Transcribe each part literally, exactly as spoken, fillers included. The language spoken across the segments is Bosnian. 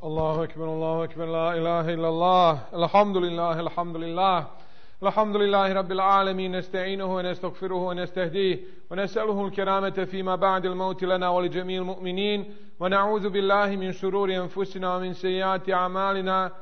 الله أكبر الله أكبر لا إله إلا الله الحمد لله الحمد لله الحمد لله رب العالمين نستعينه ونستغفره ونستهديه ونسأله الكرامة فيما بعد الموت لنا ولجميع المؤمنين ونعوذ بالله من شرور أنفسنا ومن سيئات أعمالنا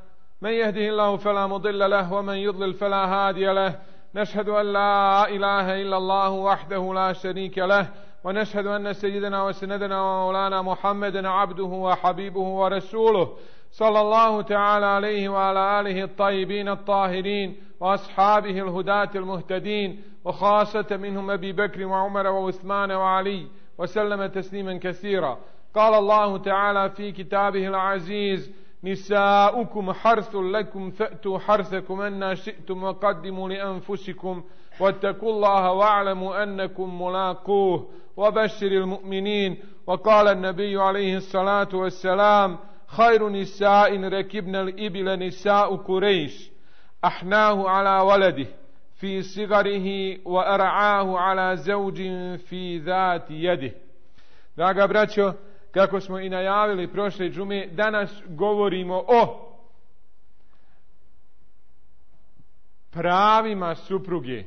من يهده الله فلا مضل له ومن يضلل فلا هادي له نشهد أن لا إله إلا الله وحده لا شريك له ونشهد أن سيدنا وسندنا ومولانا محمدا عبده وحبيبه ورسوله صلى الله تعالى عليه وعلى آله الطيبين الطاهرين وأصحابه الهداة المهتدين وخاصة منهم أبي بكر وعمر وعثمان وعلي وسلم تسليما كثيرا. قال الله تعالى في كتابه العزيز: نساؤكم حرث لكم فأتوا حرثكم أن شئتم وقدموا لأنفسكم واتقوا الله واعلموا أنكم ملاقوه وبشر المؤمنين. وقال النبي عليه الصلاة والسلام: خير نساء ركبن الإبل نساء قريش أحناه على ولده في صغره وأرعاه على زوج في ذات يده. Draga braćo, kako smo i najavili prošle džume, danas govorimo o pravima supruge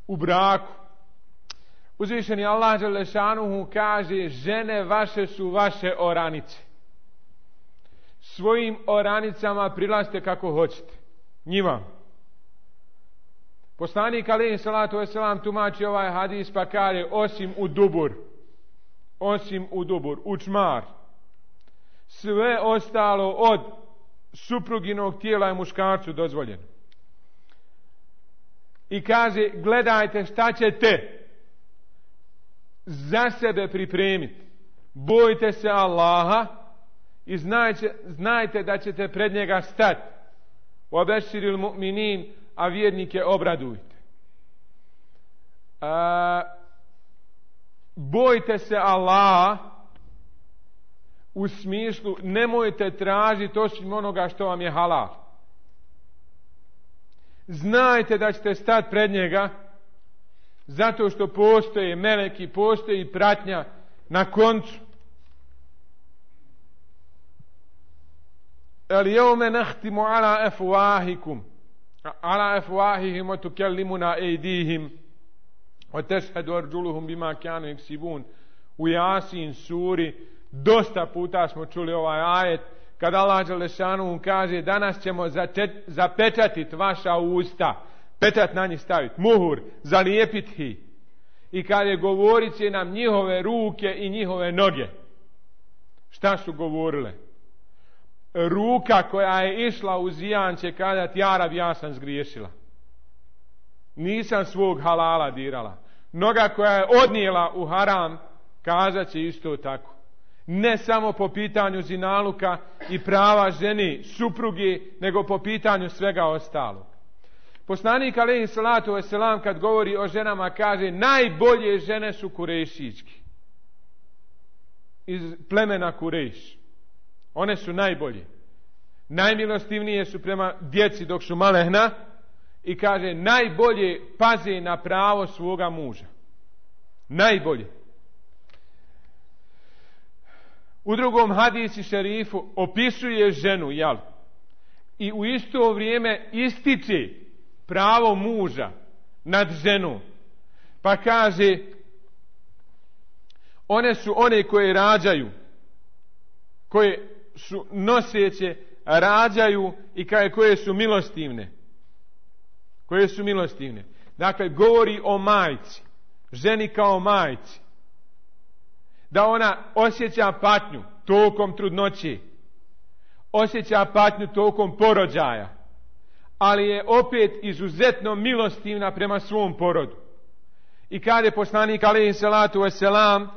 u braku. Uzvišeni Allah dželle šanuhu kaže: žene vaše su vaše oranice. Svojim oranicama prilazite kako hoćete. Njima. Poslanik alejhi salatu vesselam tumači ovaj hadis pa kaže: osim u dubur. Osim u dubur, u čmar. Sve ostalo od supruginog tijela je muškarcu dozvoljeno. I kaže: gledajte šta ćete za sebe pripremiti. Bojte se Allaha i znajte, znajte da ćete pred njega stati. Obeširil mu'minin, a vjernike obradujte. A, bojte se Allaha u smislu nemojte tražiti osim onoga što vam je halal. Znajte da ćete stati pred njega zato što postoje meleki, postoji pratnja na koncu. El jevme nahtimu ala afwahikum ala afwahihim wa tukallimuna aydihim wa tashhadu arjuluhum bima kanu yaksibun. U Jasin suri dosta puta smo čuli ovaj ajet kad Allah dželle šanuhu kaže: danas ćemo zapečatiti vaša usta, pečat na njih staviti, muhur, zalijepiti ih. I kaže: govorit će nam njihove ruke i njihove noge. Šta su govorile? Ruka koja je išla u zijan će kazati: ja rab, ja sam zgriješila. Nisam svog halala dirala. Noga koja je odnijela u haram kazat će isto tako. Ne samo po pitanju zinaluka i prava ženi, supruge, nego po pitanju svega ostalog. Poslanik alejhi salatu vesselam kad govori o ženama kaže: najbolje žene su Kurejšički. Iz plemena Kurejš. One su najbolje. Najmilostivnije su prema djeci dok su malehna i kaže: najbolje paze na pravo svoga muža. Najbolje. U drugom hadisi šerifu opisuje ženu, jel? I u isto vrijeme ističe pravo muža nad ženom. Pa kaže: one su one koje rađaju, koje su noseće, rađaju i kaže koje su milostivne. Koje su milostivne. Dakle, govori o majci, ženi kao majci. Da ona osjeća patnju tokom trudnoće, osjeća patnju tokom porođaja, ali je opet izuzetno milostivna prema svom porodu. I kaže poslanik alejhi salatu vesselam: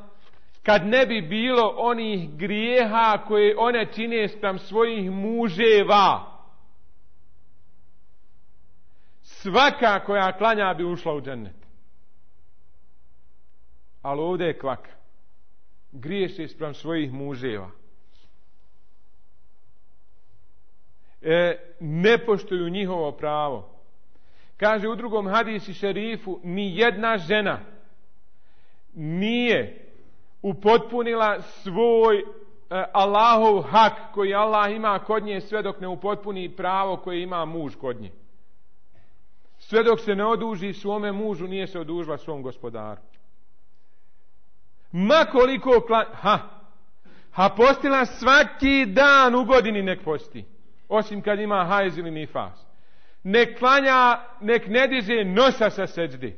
kad ne bi bilo onih grijeha koje one čine spram svojih muževa, svaka koja klanja bi ušla u džennet. Ali ovdje je kvaka. Griješe spram svojih muževa. E, ne poštuju njihovo pravo. Kaže u drugom hadisi šerifu: ni jedna žena nije upotpunila svoj Allahov hak koji Allah ima kod nje sve dok ne upotpuni pravo koje ima muž kod nje. Sve dok se ne oduži svome mužu, nije se odužila svom gospodaru. Ma koliko kla... Ha! Ha postila svaki dan u godini nek posti. Osim kad ima hajz ili nifas. Nek klanja, nek ne diže nosa sa seđde.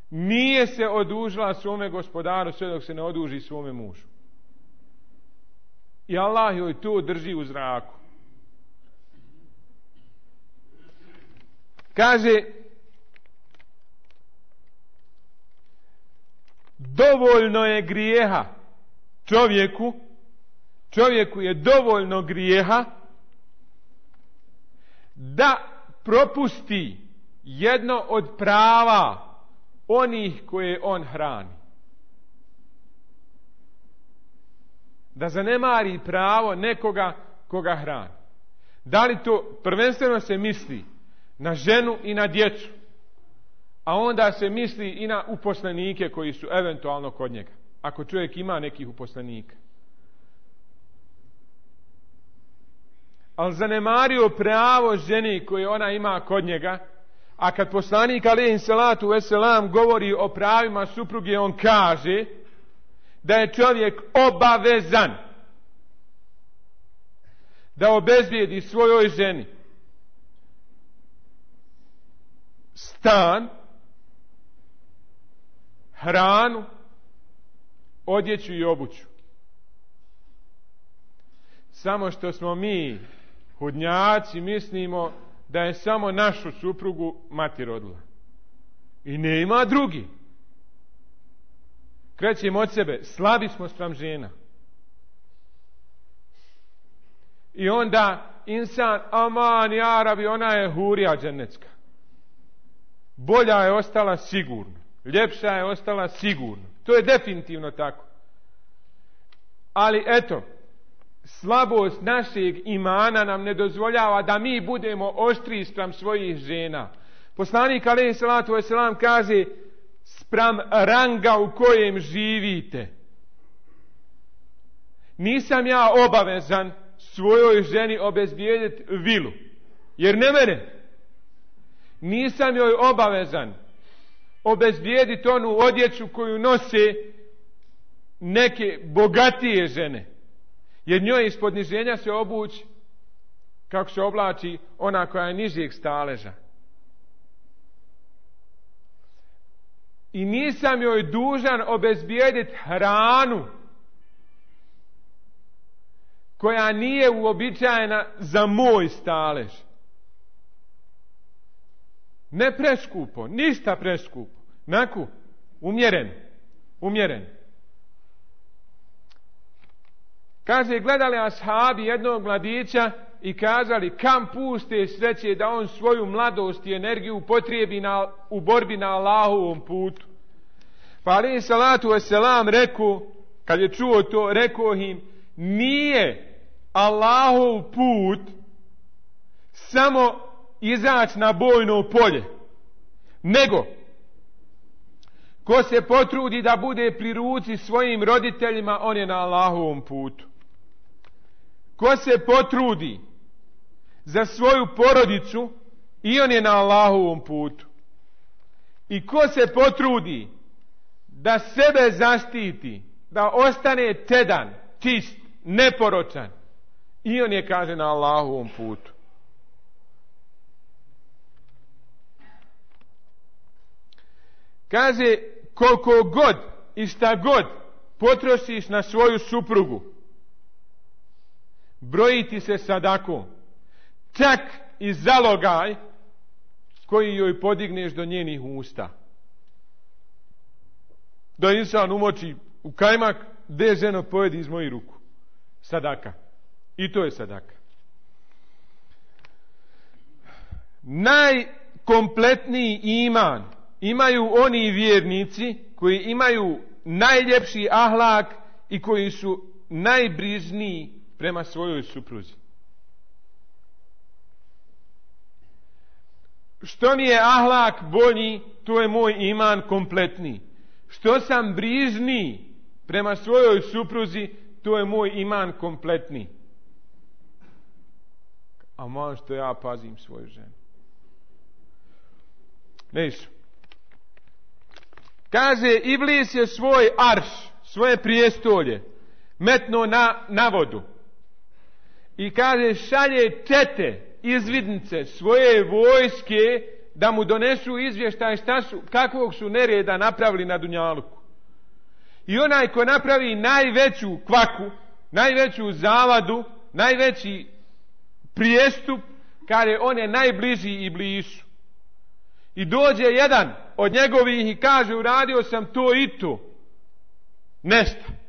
Nije se odužila svome gospodaru sve dok se ne oduži svome mužu. I Allah joj to drži u zraku. Kaže, dovoljno je grijeha čovjeku, čovjeku je dovoljno grijeha da propusti jedno od prava onih koje on hrani. Da zanemari pravo nekoga koga hrani. Da li to prvenstveno se misli na ženu i na djecu, a onda se misli i na uposlenike koji su eventualno kod njega, ako čovjek ima nekih uposlenika. Ali zanemario pravo ženi koje ona ima kod njega, a kad poslanik alejhi salatu vesselam govori o pravima supruge, on kaže da je čovjek obavezan da obezbijedi svojoj ženi stan, hranu, odjeću i obuću. Samo što smo mi hudnjaci mislimo da je samo našu suprugu mati rodila. I ne ima drugi. Krećemo od sebe, slabi smo spram žena. I onda insan, aman, ja rabi, ona je hurija dženecka. Bolja je ostala sigurno. Ljepša je ostala sigurno. To je definitivno tako. Ali eto, slabost našeg imana nam ne dozvoljava da mi budemo oštri spram svojih žena. Poslanik alejhi salatu vesselam kaže, spram ranga u kojem živite. Nisam ja obavezan svojoj ženi obezbijediti vilu, jer ne mene. Nisam joj obavezan obezbijediti onu odjeću koju nose neke bogatije žene, jer njoj iz podniženja se obući kako se oblači ona koja je nižeg staleža. I nisam joj dužan obezbijediti hranu koja nije uobičajena za moj stalež. Ne preskupo, ništa preskupo. Naku, umjeren, umjeren. Kaže, gledali ashabi jednog mladića i kazali, kam puste sreće da on svoju mladost i energiju upotrijebi na, u borbi na Allahovom putu. Pa alejhi salatu vesselam rekao, kad je čuo to, rekao im, nije Allahov put samo izaći na bojno polje, nego ko se potrudi da bude pri ruci svojim roditeljima, on je na Allahovom putu. Ko se potrudi za svoju porodicu, i on je na Allahovom putu. I ko se potrudi da sebe zaštiti, da ostane tedan, čist, neporočan, i on je, kaže, na Allahovom putu. Kaže, koliko god i šta god potrošiš na svoju suprugu, brojiti se sadakom, čak i zalogaj koji joj podigneš do njenih usta. Da insan umoči u kajmak, de ženo pojedi iz mojih ruku. Sadaka. I to je sadaka. Najkompletniji iman imaju oni vjernici koji imaju najljepši ahlak i koji su najbrižniji prema svojoj supruzi. Što mi je ahlak bolji, to je moj iman kompletniji. Što sam brižniji prema svojoj supruzi, to je moj iman kompletni. A man što ja pazim svoju ženu. Neš. Kaže, Iblis je svoj arš, svoje prijestolje metno na, na vodu. I kaže, šalje čete, izvidnice, svoje vojske da mu donesu izvještaj šta su, kakvog su nereda napravili na Dunjaluku. I onaj ko napravi najveću kvaku, najveću zavadu, najveći prijestup, kaže, on je najbliži Iblisu. I dođe jedan od njegovih i kaže, uradio sam to i to. Nešta.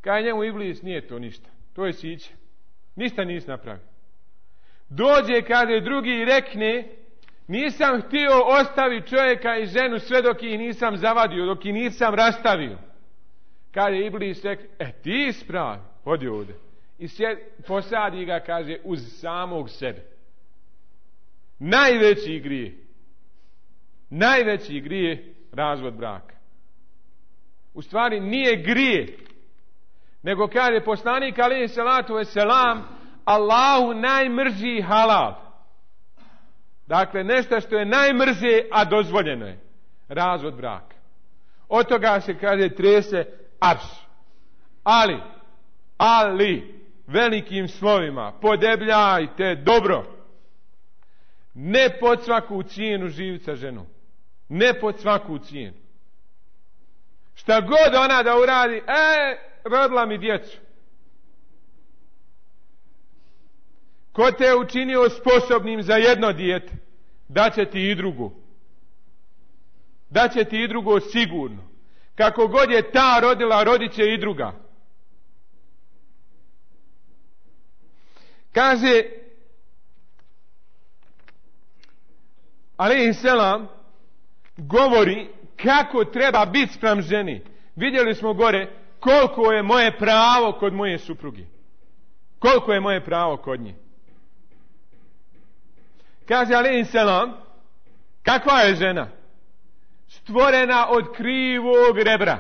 Kaže njemu, Iblis, nije to ništa. To je siće. Ništa nisi napravio. Dođe, kaže drugi i rekne, nisam htio ostaviti čovjeka i ženu sve dok ih nisam zavadio, dok ih nisam rastavio. Kaže Iblis, rekne, e ti ispravi, hodi ovdje. I sjed, posadi ga, kaže, uz samog sebe. Najveći grije. Najveći grije razvod braka. U stvari nije grije, nego kaže poslanik alejhi salatu vesselam, Allahu najmrži halal. Dakle, nešto što je najmrže, a dozvoljeno je. Razvod braka. Od toga se, kaže, trese arš. Ali, ali, velikim slovima, podebljajte dobro. Ne pod svaku cijenu živjeti sa ženom. Ne pod svaku cijenu. Šta god ona da uradi, e, rodila mi djecu. Ko te je učinio sposobnim za jedno dijete, daće ti i drugo. Daće ti i drugo sigurno. Kako god je ta rodila, rodit će i druga. Kaže alejhi selam, govori kako treba biti spram ženi. Vidjeli smo gore koliko je moje pravo kod moje supruge. Koliko je moje pravo kod nje. Kaže alejhi selam, kakva je žena? Stvorena od krivog rebra.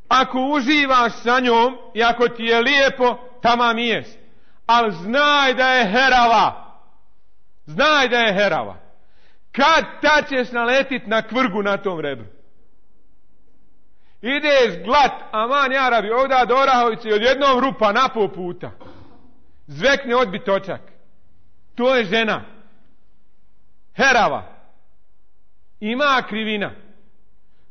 Ako uživaš sa njom i ako ti je lijepo, tamam jest. Ali znaj da je herava. Znaj da je herava. Kad ta ćeš naletit na kvrgu na tom rebru? Ideš glat, aman jarabi, ovdje do Orahovice, odjednom rupa na pol puta. Zvekne odbit točak. To je žena. Herava. Ima krivina.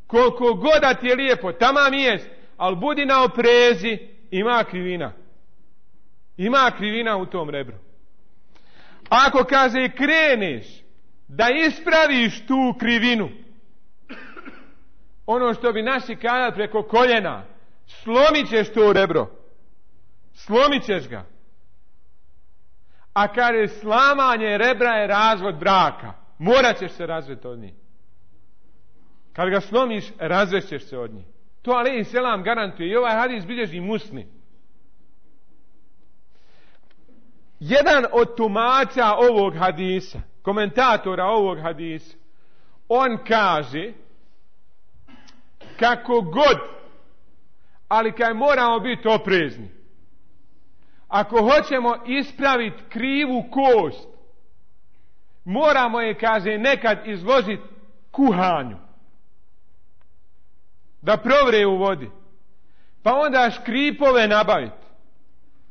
Koliko god da ti je lijepo, tamam jest, ali budi na oprezi, ima krivina. Ima krivina u tom rebru. Ako, kaže, kreneš da ispraviš tu krivinu, ono što bi naši kazali preko koljena, slomit ćeš to rebro. Slomit ćeš ga. A kaže, slamanje rebra je razvod braka. Morat ćeš se razvesti od njih. Kad ga slomiš, razvešćeš se od njih. To alejhi selam garantuje. I ovaj hadis bilježi Muslim. Jedan od tumača ovog hadisa, komentatora ovog hadisa, on kaže kako god, ali kaj moramo biti oprezni. Ako hoćemo ispraviti krivu kost, moramo je, kaže, nekad izložiti kuhanju. Da provre u vodi. Pa onda škripove nabaviti.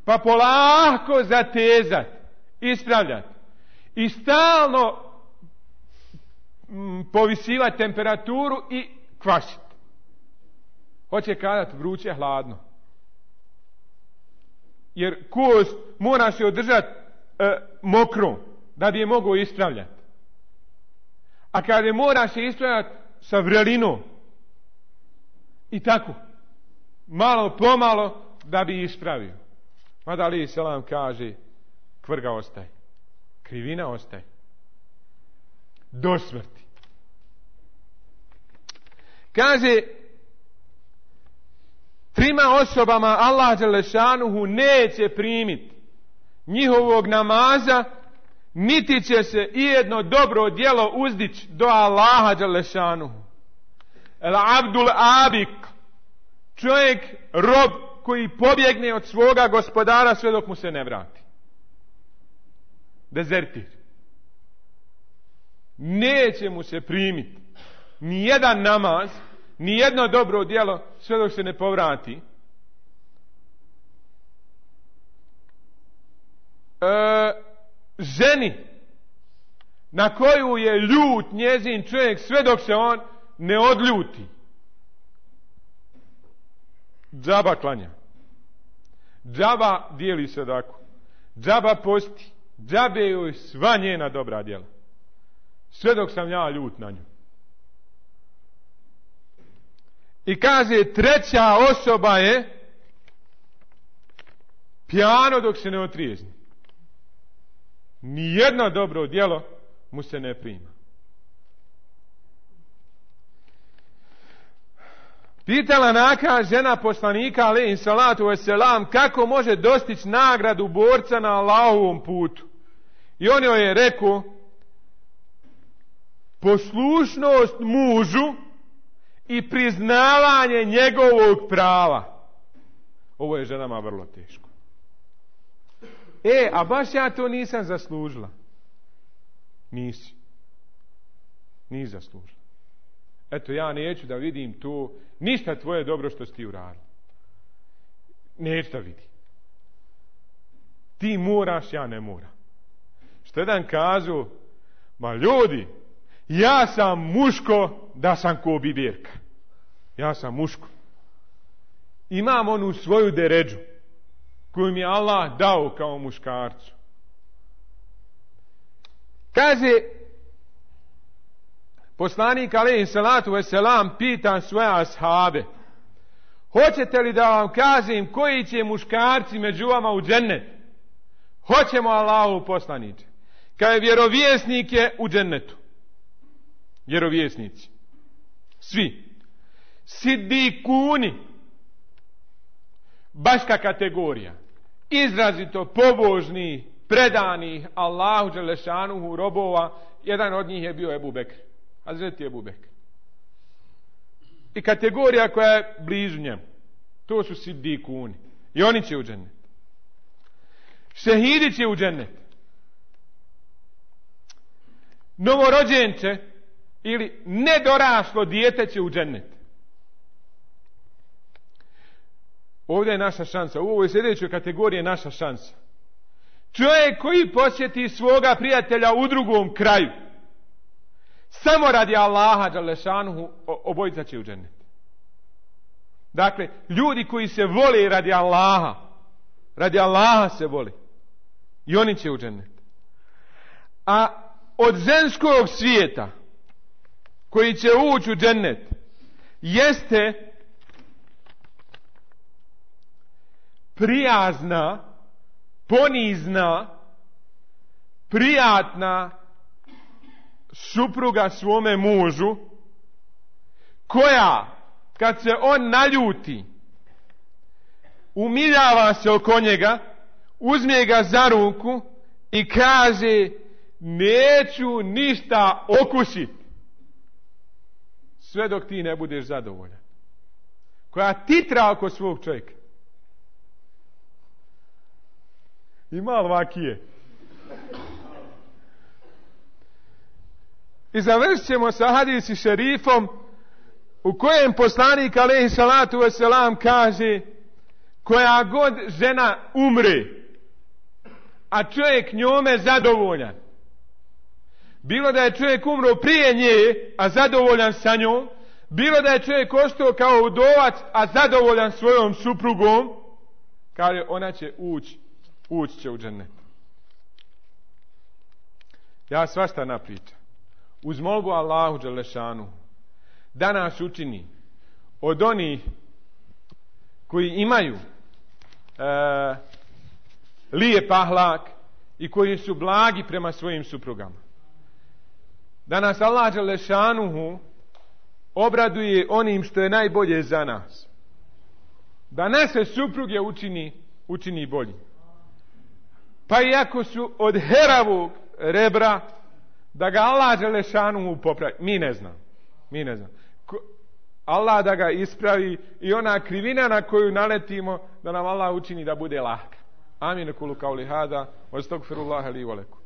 Pa polako zatezati. Ispravljati. I stalno mm, povisivati temperaturu i kvašiti. Hoće kazati vruće, hladno. Jer kost mora se održati e, mokrom da bi je mogao ispravljati. A kada je mora se ispravljati sa vrelinom i tako malo pomalo da bi ispravio. Mada alejhi selam kaže, kvrga ostaje, krivina ostaje do smrti. Kaže, trima osobama Allah dželešanuhu neće primiti njihovog namaza, niti će se ijedno dobro djelo uzdići do Allaha dželešanuhu. El abdul abik, čovjek rob koji pobjegne od svoga gospodara sve dok mu se ne vrati. Dezertir. Neće mu se primiti ni jedan namaz, ni jedno dobro djelo sve dok se ne povrati. E, ženi na koju je ljut njezin čovjek sve dok se on ne odljuti. Džaba klanja. Džaba dijeli sadaku. Džaba posti. Džabe joj sva njena dobra djela. Sve dok sam ja ljut na nju. I kaže treća osoba je pijano dok se ne otrijezni. Nijedno dobro djelo mu se ne prima. Pitala naka žena poslanika alejhi salatu vesselam kako može dostići nagradu borca na Allahovom putu. I on joj je rekao poslušnost mužu i priznavanje njegovog prava. Ovo je ženama vrlo teško. E, a baš ja to nisam zaslužila. Nisi. Nisi zaslužila. Eto, ja neću da vidim to, ništa tvoje dobro što si ti uradila. Neću da vidim. Ti moraš, ja ne moram. Što jedan kažu, ma ljudi, ja sam muško da sam ko biberka. Ja sam muško. Imam onu svoju deređu koju mi je Allah dao kao muškarcu. Kaže poslanik alejhi salatu vesselam pita svoje ashabe: hoćete li da vam kažem koji će muškarci među vama u džennet? Hoćemo, Allahu poslaniče. Kaže vjerovjesnik je u džennetu. Vjerovjesnici. Svi. Sidikuni. Baška kategorija. Izrazito pobožni, predani Allahu dželešanuhu robova. Jedan od njih je bio Ebu Bekr. Hazreti Ebu Bekr. I kategorija koja je blizu njemu. To su sidikuni. I oni će u džennet. Šehidi će u džennet. Novorođenče ili nedoraslo dijete će u džennet. Ovdje je naša šansa. U ovoj sljedećoj kategoriji je naša šansa. Čovjek koji posjeti svoga prijatelja u drugom kraju, samo radi Allaha dželešanuhu, obojica će u džennet. Dakle, ljudi koji se vole radi Allaha, radi Allaha se vole, i oni će u džennet. A od ženskog svijeta koji će ući u džennet jeste prijazna, ponizna, prijatna supruga svome mužu, koja kad se on naljuti umiljava se oko njega, uzme ga za ruku i kaže: neću ništa okusiti sve dok ti ne budeš zadovoljan. Koja titra oko svog čovjeka. Ima li vakije? I završit ćemo sa hadisi šerifom u kojem poslanik alejhi salatu vesselam kaže: koja god žena umre, a čovjek njome zadovoljan, bilo da je čovjek umro prije nje, a zadovoljan sa njom, bilo da je čovjek ostao kao udovac, a zadovoljan svojom suprugom, kaže ona će ući, ući će u džennet. Ja svašta napričam. Uz molbu Allahu dželešanu da nas učini od onih koji imaju e, lijep ahlak i koji su blagi prema svojim suprugama. Da nas Allah dželešanuhu obraduje onim što je najbolje za nas. Da naše supruge učini, učini bolji. Pa iako su od heravog rebra, da ga Allah dželešanuhu popravi. Mi ne znam. Mi ne znam. Ko, Allah da ga ispravi i ona krivina na koju naletimo da nam Allah učini da bude lahka. Amin. Kulu kauli hada, wa astagfirullaha li wa lakum.